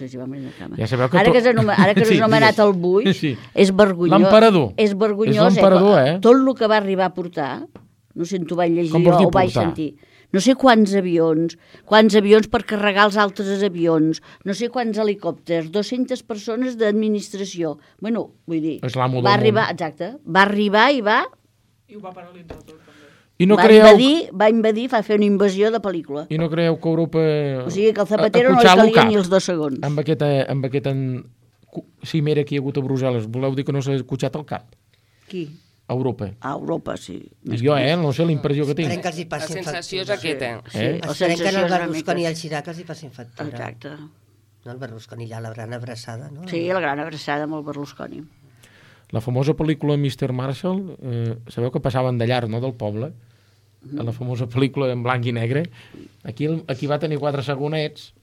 si van brindar en cava. Ja sabeu que ara que s'ha anomenat el Buix, és vergonyós. L'emperador. És vergonyós. És l'emperador, Tot el que va arribar a portar... No sé si t'ho vaig llegir o ho vaig sentir. No sé quants avions per carregar els altres avions, no sé quants helicòpters, 200 persones d'administració. Bueno, vull dir, va arribar, exacte, va arribar i va... I ho va paralitzar tot, també. Va invadir, va fer una invasió de pel·lícula. I no creieu que Europa... O sigui que al Zapatero no li calia ni els 2 segons. Amb aquesta cimera que hi ha hagut a Brussel·les, voleu dir que no s'ha cotxat el cap? Qui? A Europa. A Europa, sí. Jo, no sé, la impressió que tinc. Esperem que els hi passin factura. La sensació és aquesta. Esperem que el Berlusconi i el Chirac els hi passin factura. Exacte. No, el Berlusconi ja, la gran abraçada, no? Sí, la gran abraçada amb el Berlusconi. La famosa pel·lícula Mr. Marshall, sabeu que passaven de llar, no?, del poble, a la famosa pel·lícula en blanc i negre. Aquí va tenir 4 segonets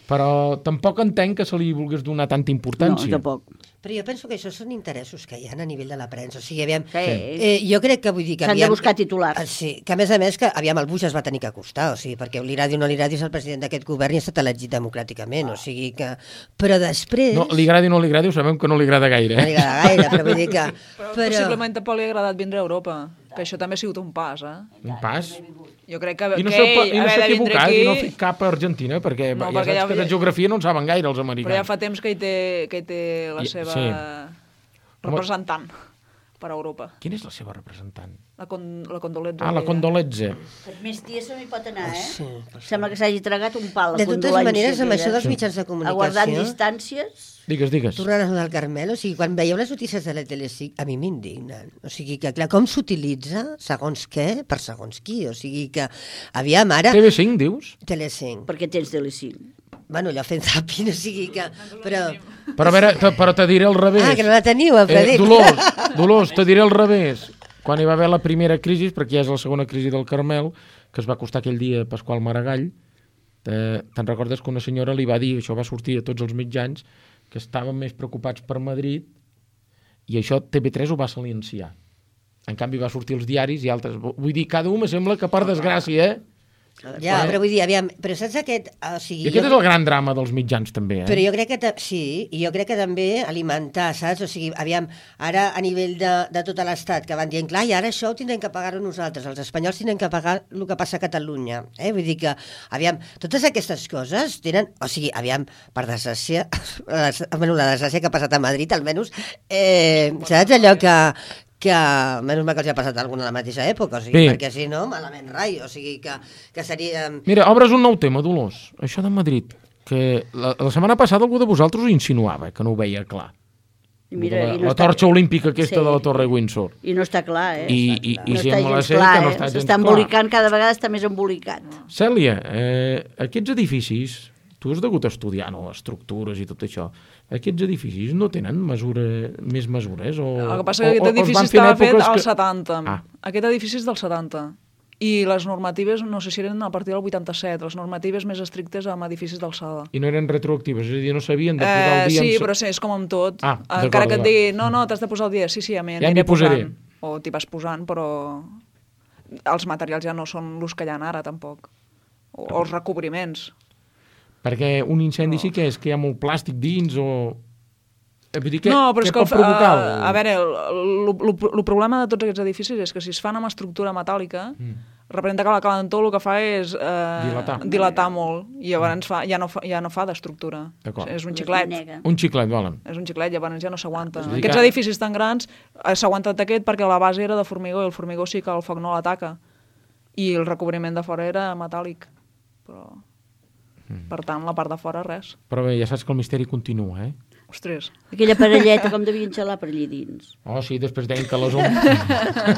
Però tampoc entenc que se li volgués donar tanta importància. No, tampoc. Però jo penso que això són interessos que hi ha a nivell de la premsa. O sigui, aviam, Sí. jo crec que vull dir que... S'han de buscar titulars. Sí, que a més, que aviam, el Bush es va tenir que acostar, o sigui, perquè l'Iradi o no l'Iradi és el president d'aquest govern i ha estat elegit democràticament, o sigui que... Però després... No, li agradi o no li agradi, ho sabem que no li agrada gaire. No li agrada gaire, però vull dir que... Però possiblement tampoc li ha agradat vindre a Europa, que això també ha sigut un pas, Un pas? Jo crec que I no ell s'ha haver de vindre equivocat aquí... i no ha fet cap a Argentina, perquè No, ja perquè saps que de geografia no en saben gaire els americans. Però ja fa temps que hi té la seva representant per a Europa. Quina és la seva representant? La Condoletza. La Condoletza. Per més dies no hi pot anar, Sí. Sembla que s'hagi tragat un pal, la De totes condolència. maneres, amb això dels mitjans de Aguardant comunicació... distàncies... Digues. Tornant a allò del Carmel, o sigui, quan veieu les notícies de la Telecinc, a mi m'indignen. O sigui que, clar, com s'utilitza segons què per segons qui. O sigui que, aviam, ara... TV5, dius? Telecinc. Perquè tens Telecinc. Bueno, allò fent zapping, o sigui que... Però Però a veure, però te diré al revés. que no la teniu, el Frederic. Dolors, te diré al revés. Quan hi va haver la primera crisi, perquè ja és la segona crisi del Carmel, que es va acostar aquell dia Pasqual Maragall, te'n recordes que una senyora li va dir, això va sortir a tots els mitjans, que estaven més preocupats per Madrid, i això TV3 ho va silenciar. En canvi va sortir als diaris i altres... Vull dir, cada un me sembla que per desgràcia, Ja, però vull dir, aviam, però saps aquest... O sigui, I aquest és el gran drama dels mitjans, també, Però jo crec que... Sí, i jo crec que també alimentar, saps? O sigui, aviam, ara a nivell de tot l'estat, que van dient, clar, i ara això ho tindrem que pagar-ho nosaltres, els espanyols tindrem que pagar el que passa a Catalunya. Vull dir que, aviam, totes aquestes coses tenen... O sigui, aviam, per desgràcia, la desgràcia que ha passat a Madrid, almenys, saps allò que menys mal que els ha passat alguna a la mateixa època, o sigui, perquè si no, malament rai, o sigui que seria... Mira, obres un nou tema, Dolors, això de Madrid, que la setmana passada algú de vosaltres ho insinuava, que no ho veia clar. I mira, la torxa olímpica aquesta de la Torre Windsor. I no està clar, I no sembla ser clar, que no està gens s'està embolicant, cada vegada està més embolicat. Cèlia, aquests edificis, tu has degut estudiar, no, estructures i tot això, aquests edificis no tenen més mesures? El que passa és que aquest edifici estava fet als 70. Aquest edifici és del 70. I les normatives, no sé si eren a partir del 87, les normatives més estrictes amb edificis d'alçada. I no eren retroactives, és a dir, no sabien de posar el dia... Sí, però és com amb tot. Encara que et digui, no, t'has de posar el dia, sí, ja m'hi aniré posant. O t'hi vas posant, però els materials ja no són els que hi ha ara, tampoc. O els recobriments. Perquè un incendi sí que és que hi ha molt plàstic dins o... No, però és que a veure, el problema de tots aquests edificis és que si es fan amb estructura metàl·lica, representa que la calentor el que fa és dilatar molt i llavors ja no fa d'estructura. És un xiclet. Un xiclet, volen. És un xiclet, llavors ja no s'aguanta. Aquests edificis tan grans s'ha aguantat aquest perquè la base era de formigó i el formigó sí que el foc no l'ataca. I el recobriment de fora era metàl·lic. Però... Per tant, la part de fora, res. Però bé, ja saps que el misteri continua, Ostres. Aquella parelleta com devien xalar per allà dins. Oh, sí, després deien que les ombres...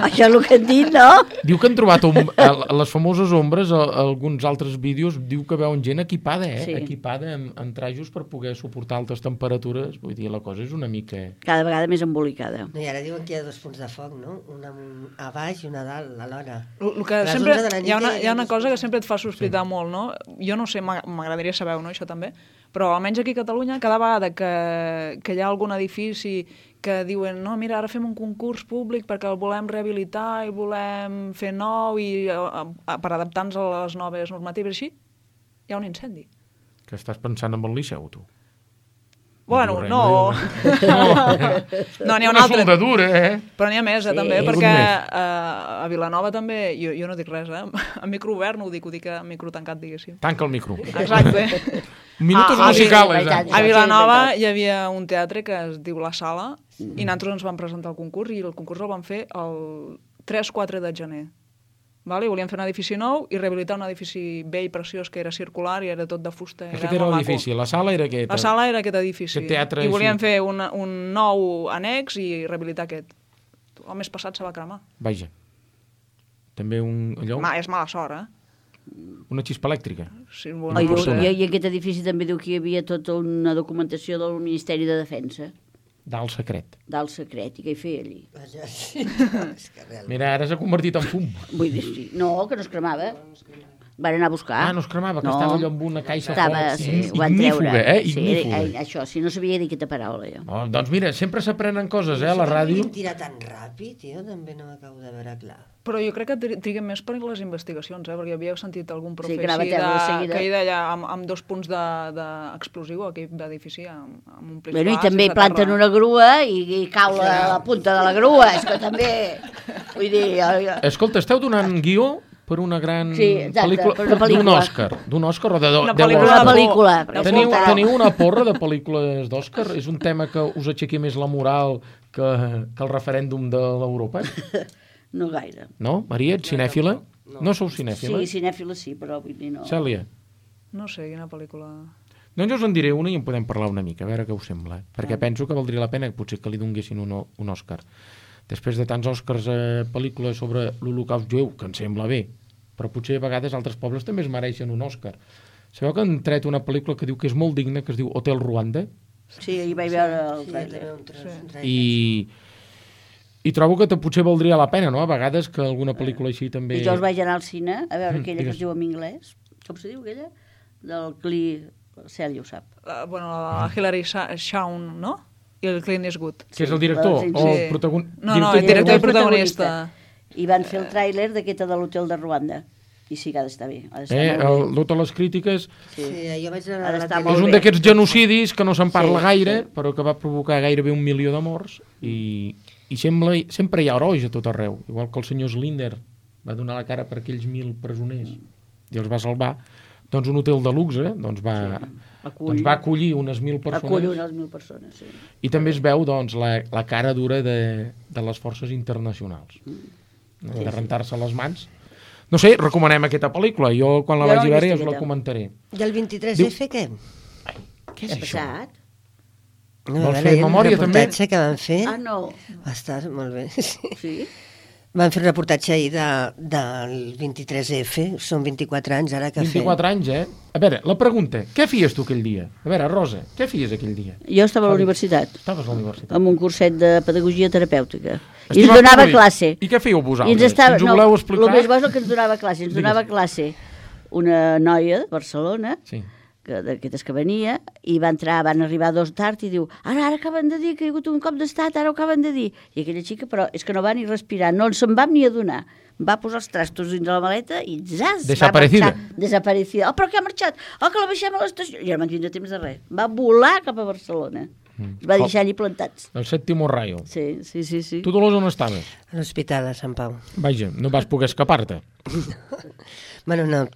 Això és el que han dit, no? Diu que han trobat les famoses ombres, alguns altres vídeos, diu que veuen gent equipada, Sí. Equipada amb trajos per poder suportar altes temperatures. Vull dir, la cosa és una mica... Cada vegada més embolicada. No, i ara diuen que hi ha 2 punts de foc, no? Una a baix i una a dalt, alhora. Hi ha una cosa que sempre et fa sospitar molt, no? Jo no sé, m'agradaria saber, no, això també, però almenys aquí a Catalunya, cada vegada que hi ha algun edifici que diuen, no, mira, ara fem un concurs públic perquè el volem rehabilitar i volem fer nou i per adaptar-nos a les noves normatives així, hi ha un incendi. Que estàs pensant en el Liceu, tu? Bueno, no, n'hi ha un altre. Una soldadura, Però n'hi ha més, també, perquè a Vilanova també, jo no dic res, a micro obert no ho dic a micro tancat, diguéssim. Tanca el micro. Exacte. Minutos musicals. A Vilanova hi havia un teatre que es diu La Sala i nosaltres ens vam presentar al concurs i el concurs el vam fer el 3-4 de gener. Vale? Volíem fer un edifici nou i rehabilitar un edifici vell, preciós, que era circular i era tot de fusta. Aquest era l'edifici, la sala era aquest. La sala era aquest edifici. I volíem fer un nou annex i rehabilitar aquest. El mes passat se va cremar. Vaja. També allò... És mala sort, Una xispa elèctrica. Sí, I aquest edifici també diu que hi havia tota una documentació del Ministeri de Defensa. D'alt secret. D'alt secret, i què hi feia allí? Mira, ara s'ha convertit en fum. Vull dir, sí. No, que no es cremava. Van anar a buscar. No es cremava, que estava allò amb una caixa fort. Sí, ho van treure. Ignífuga. Això, si no sabia dir aquesta paraula, jo. Doncs mira, sempre s'aprenen coses, a la ràdio. Si tira tan ràpid, jo també no m'acabo de veure clar. Però jo crec que triguen més per les investigacions, perquè havia sentit algun profe que hi deia amb 2 punts d'explosiu a aquell edifici, amb un plis. I també planten una grua i cau la punta de la grua, és que també... Vull dir... Escolta, esteu donant guió per una gran pel·lícula d'un Òscar o de una pel·lícula. Teniu una porra de pel·lícules d'Òscar? És un tema que us aixequi més la moral que el referèndum de l'Europa? No gaire. No? Maria, ets cinèfila? No sou cinèfila? Sí, cinèfila sí, però vull dir no. Cèlia? No sé, quina pel·lícula... Doncs jo us en diré una i en podem parlar una mica, a veure què us sembla. Perquè penso que valdria la pena potser que li donguessin un Òscar. Després de tants Òscars a pel·lícules sobre l'Holocaust jueu, que em sembla bé, però potser a vegades altres pobles també es mereixen un Òscar. Sabeu que han tret una pel·lícula que diu que és molt digna, que es diu Hotel Ruanda? Sí, hi vaig veure el trailer. I trobo que potser valdria la pena, no? A vegades que alguna pel·lícula així també... I jo us vaig anar al cine a veure aquella que es diu en anglès. Com se diu aquella? Del Cèlia ho sap. La Hilary Shawn, no? I el Clint Eastwood. Que és el director? O el protagonista? No, el director i protagonista. I van fer el tràiler d'aquesta de l'hotel de Ruanda. I sí que ha d'estar bé. Totes les crítiques... Sí, jo vaig anar és un d'aquests genocidis que no se'n parla gaire, però que va provocar gairebé 1 milió de morts. I sempre hi ha herois a tot arreu. Igual que el senyor Slinder va donar la cara per aquells 1.000 presoners i els va salvar. Doncs un hotel de luxe va acollir unes 1.000 persones. Acull unes 1.000 persones, sí. I també es veu doncs, la cara dura de les forces internacionals. De rentar-se les mans. No sé, recomanem aquesta pel·lícula. Jo, quan la vagi a veure, ja us la comentaré. I el 23F, què? Què és això? Vols fer memòria, també? El reportatge que van fer... no. Va estar molt bé. Sí? Van fer un reportatge ahir del 23F, són 24 anys ara que 24 anys, A veure, la pregunta, què feies tu aquell dia? A veure, Rosa, què feies aquell dia? Jo estava a la universitat. Estaves a la universitat. Amb un curset de pedagogia terapèutica. I ens donava classe. I què fèieu vosaltres? Si ens ho voleu explicar? El més bo és el que ens donava classe. Ens donava classe una noia de Barcelona, d'aquestes que venia, i van arribar 2 tard i diu, ara acaben de dir que hi ha hagut un cop d'estat, ara ho acaben de dir. I aquella xica, però és que no va ni respirar, no se'n vam ni adonar. Va posar els trastos dins de la maleta i zas, desaparecida. Va marxar. Desaparecida. Però que ha marxat? Que la baixem a l'estació. I no van tindre temps de res. Va volar cap a Barcelona. Es va deixar allí plantats. El Sèptimo Rayo. Sí. Tu, Dolors, on estaves? A l'Hospital de Sant Pau. Vaja, no vas poder escapar-te. Bueno, no...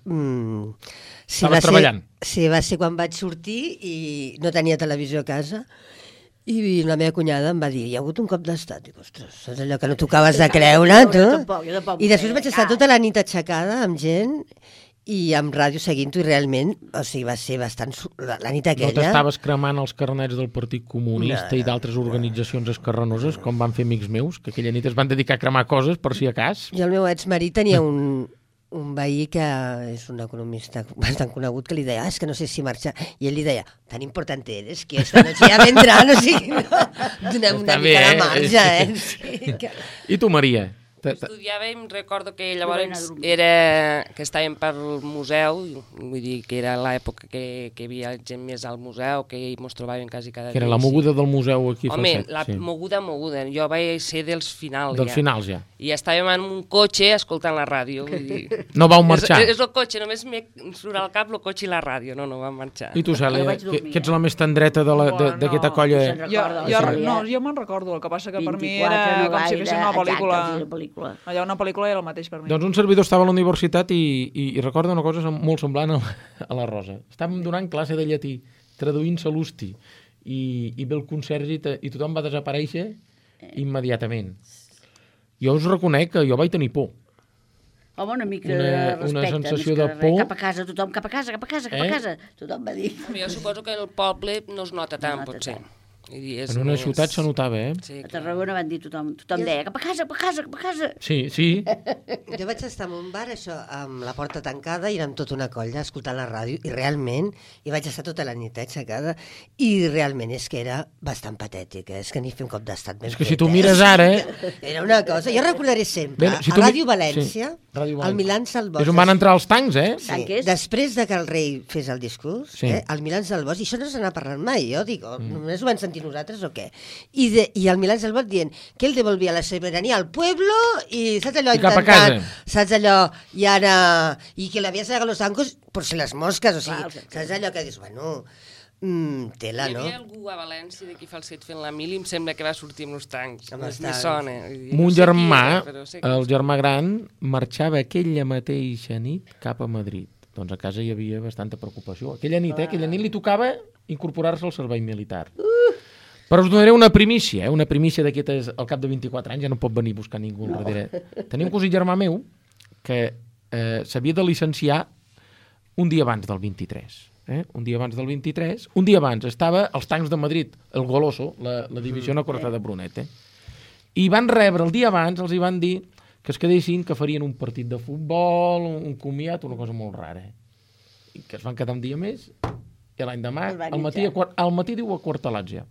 Estaves treballant. Sí, va ser quan vaig sortir i no tenia televisió a casa i la meva cunyada em va dir, hi ha hagut un cop d'estat. Dic, ostres, és allò que no t'acabaves de creure, tu? Jo tampoc. I després vaig estar tota la nit aixecada amb gent i amb ràdio seguint-ho i realment, o sigui, va ser bastant... La nit aquella... No t'estaves cremant els carnets del Partit Comunista i d'altres organitzacions esquerranoses, com van fer amics meus, que aquella nit es van dedicar a cremar coses per si a cas? I el meu exmarit tenia un veí que és un economista bastant conegut que li deia, és que no sé si marxar, i ell li deia, tan important eres que esta noche ja vendrà, no sigui, donem una mica de marge, Sí, que... I tu, Maria? Estudiàvem, recordo que llavors que estàvem pel museu, vull dir que era l'època que hi havia gent més al museu, que ens trobàvem quasi cada dia. Que era la moguda del museu aquí a Falset. Home, la moguda, jo vaig ser dels finals. Dels finals, ja. I estàvem en un cotxe escoltant la ràdio. Vull dir... No vau marxar? És el cotxe, només me surt al cap el cotxe i la ràdio, no vam marxar. I tu, Cèlia, que ets la més tendreta d'aquesta colla? Jo me'n recordo, el que passa que per mi era com si fessin una pel·lícula. Allà una pel·lícula era el mateix per mi. Doncs un servidor estava a la universitat i recorda una cosa molt semblant a la Rosa. Estàvem donant classe de llatí, traduint Sal·lusti, i ve el conserge i tothom va desaparèixer immediatament. Jo us reconec que jo vaig tenir por. Home, una mica de respecte. Una sensació de por. Cap a casa, tothom, cap a casa. Tothom va dir. Jo suposo que el poble no es nota tant, potser. En una ciutat se notava, Sí, a Tarragona van dir tothom deia cap a casa, cap a casa, cap a casa. Sí. Jo vaig estar en un bar, això, amb la porta tancada, i érem tota una colla escoltant la ràdio, i realment, i vaig estar tota la nit aixecada, i realment és que era bastant patètic, és que ni fer un cop d'estat ben fet. És que si tu mires ara... Era una cosa, jo recordaré sempre, a Ràdio València, el Milans del Bosch. És on van entrar els tancs, Sí. Després de que el rei fes el discurs, el Milans del Bosch, i això no se n'ha parlat mai, jo dic, només ho van sentir nosaltres o què? I el Milans del Bosch dient que ell devolvia la sobirania al pueblo i saps allò intentant, saps allò, i ara, i que l'havia sagat los bancos por si les mosques, o sigui, saps allò que dius, bueno, tela, no? Hi havia algú a València de qui fa el set fent la mili, em sembla que va sortir amb els tancs. Me sona. Mon germà, el germà gran, marxava aquella mateixa nit cap a Madrid. Doncs a casa hi havia bastanta preocupació. Aquella nit li tocava incorporar-se al servei militar. Però us donaré una primícia d'aquestes, al cap de 24 anys, ja no pot venir a buscar ningú al darrere. Tenia un cosí germà meu que s'havia de licenciar un dia abans del 23. Un dia abans estava als tancs de Madrid, el Goloso, la divisió acorazada de Brunet. I van rebre el dia abans, els hi van dir que es quedessin, que farien un partit de futbol, un comiat, una cosa molt rara. I que es van quedar un dia més, i l'any demà, al matí diu aquartelats ja.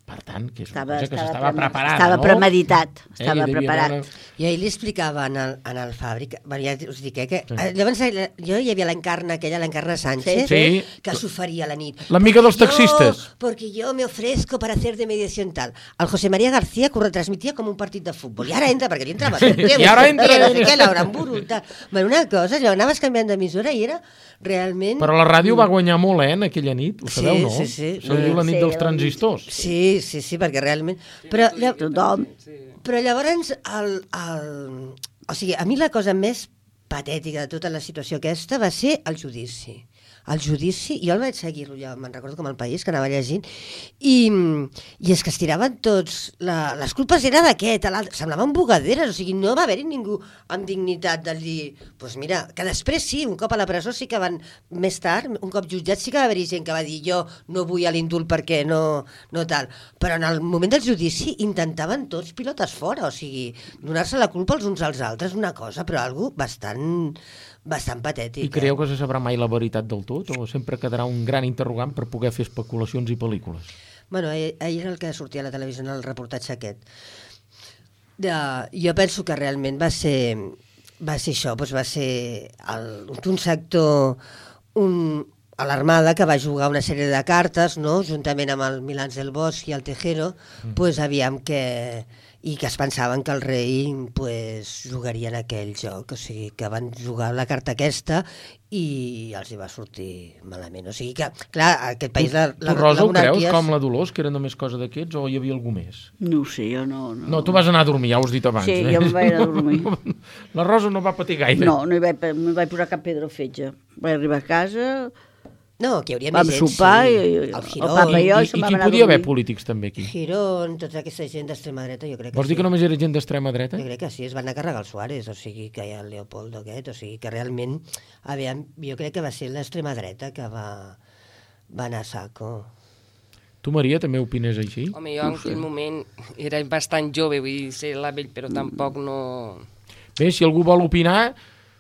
Per tant, que és una cosa que s'estava preparada, estava premeditat, estava preparat. I ahir li explicava en el Fàbric, ja us dic, que llavors jo hi havia l'Encarna Sánchez, que s'oferia a la nit. L'amiga dels taxistes. Porque yo me ofrezco para hacer de mediación tal. El José María García que ho retransmitia com un partit de futbol. I ara entra, perquè li entrava. I ara entra. No sé què, Laura Emburu. Una cosa, anaves canviant d'emissora i era realment... Però la ràdio va guanyar molt, en aquella nit, ho sabeu, no? Sí. Se diu la nit dels transistors. Sí, perquè realment... Però llavors, o sigui, a mi la cosa més patètica de tota la situació aquesta va ser el judici. El judici, jo el vaig seguir-lo, ja me'n recordo com El País, que anava llegint, i és que es tiraven tots, les culpes era d'aquest, semblaven bugaderes, o sigui, no va haver-hi ningú amb dignitat de dir, doncs mira, que després sí, un cop a la presó sí que van, més tard, un cop jutjats sí que va haver-hi gent que va dir jo no vull a l'indult perquè no tal, però en el moment del judici intentaven tots pilotes fora, o sigui, donar-se la culpa els uns als altres, una cosa, però algo bastant patètic. I creieu que se sabrà mai la veritat del tot o sempre quedarà un gran interrogant per poder fer especulacions i pel·lícules? Bueno, ahir era el que sortia a la televisió en el reportatge aquest. Jo penso que realment va ser això, doncs va ser un sector, a l'Armada, que va jugar una sèrie de cartes, no? Juntament amb el Milans del Bosch i el Tejero, doncs aviam que... i que es pensaven que el rei jugaria en aquell joc, o sigui que van jugar la carta aquesta i els hi va sortir malament, o sigui que clar, aquest país tu Rosa ho creus com la Dolors, que era només cosa d'aquests o hi havia algú més? No ho sé, jo no. No, tu vas anar a dormir, ja ho has dit abans. Sí, jo em vaig anar a dormir. La Rosa no va patir gaire. No hi vaig posar cap pedra al fetge. Vaig arribar a casa... No, que hi hauria més gent, sopar, sí. El papa i jo... I qui podia haver polítics també aquí? Girón, tota aquesta gent d'extrema dreta, jo crec que Vols dir que només era gent d'extrema dreta? Jo crec que sí, es van anar a carregar el Suárez, o sigui que hi ha el Leopoldo aquest, o sigui que realment, jo crec que va ser l'extrema dreta que va anar a saco. Tu, Maria, també opines així? Home, jo en aquell moment era bastant jove, vull dir, ser la vell, però tampoc no... Bé, si algú vol opinar...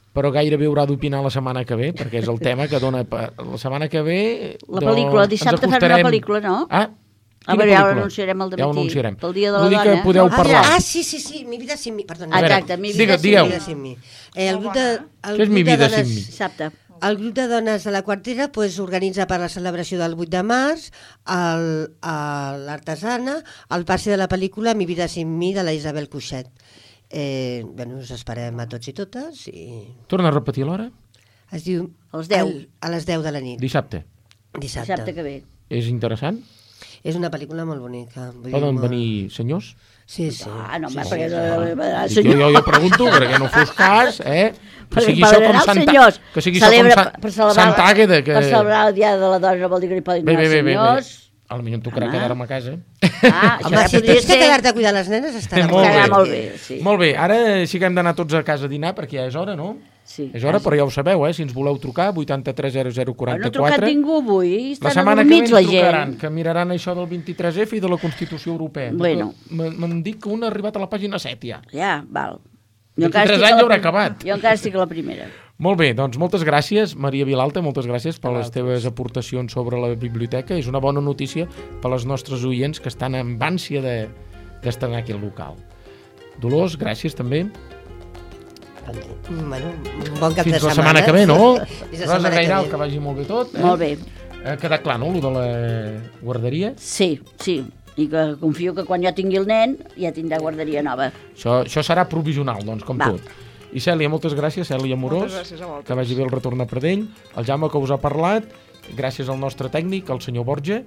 però gairebé haurà d'opinar la setmana que ve, perquè és el tema que dona... La setmana que ve... La pel·lícula, dissabte farem una pel·lícula, no? A veure, ja l'anunciarem al dematí. Pel dia de la dona. Que podeu parlar. Sí, Mi vida sin mi. Perdona. Exacte, Mi vida sin mi. Què és Mi vida sin mi? Dissabte. El grup de dones de la Quartera organitza per la celebració del 8 de març l'Artesana, el passi de la pel·lícula Mi vida sin mi, de la Isabel Cuixet. Us esperem a tots i totes. Torna a repetir l'hora? Es diu... A les 10. A les 10 de la nit. Dissabte. Dissabte que ve. És interessant? És una pel·lícula molt bonica. Poden venir senyors? Sí. No, perquè... Jo pregunto, perquè no fos cas, Que sigui això com Sant Àgueda. Per celebrar el Dia de la Dona no vol dir que hi podin anar senyors. Potser em tocarà quedar-me a casa. Home, si tens que quedar-te a cuidar les nenes, estarà molt bé. Sí. Molt bé, ara sí que hem d'anar tots a casa a dinar, perquè ja és hora, no? És hora, però ja ho sabeu, si ens voleu trucar, 83 0044. No ha trucat ningú avui, la setmana que ve ens trucaran, que miraran això del 23F i de la Constitució Europea. Bueno. M'han dit que un ha arribat a la pàgina 7 ja. Ja, val. 23 anys ja haurà acabat. Jo encara estic a la primera. Molt bé, doncs moltes gràcies, Maria Vilalta, moltes gràcies per les teves aportacions sobre la biblioteca. És una bona notícia per als nostres oients que estan amb ànsia d'estrenar aquí al local. Dolors, gràcies també. Bueno, un bon cap fins de setmana. Fins la setmana que ve, no? Rosa Gairal, que vagi molt bé tot. Molt bé. Ha quedat clar, no, el de la guarderia? Sí. I que confio que quan jo tingui el nen ja tindrà guarderia nova. Això serà provisional, doncs, com tot. I Cèlia, moltes gràcies, Cèlia Amorós, que vagi bé el retorn a Pradell, el Jaume que us ha parlat, gràcies al nostre tècnic, el senyor Borja,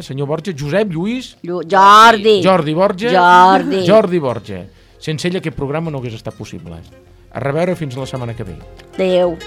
senyor Borja, Josep Lluís... Jordi Borja. Jordi Borja. Sense ell aquest programa no hagués estat possible. A reveure fins la setmana que ve. Adéu.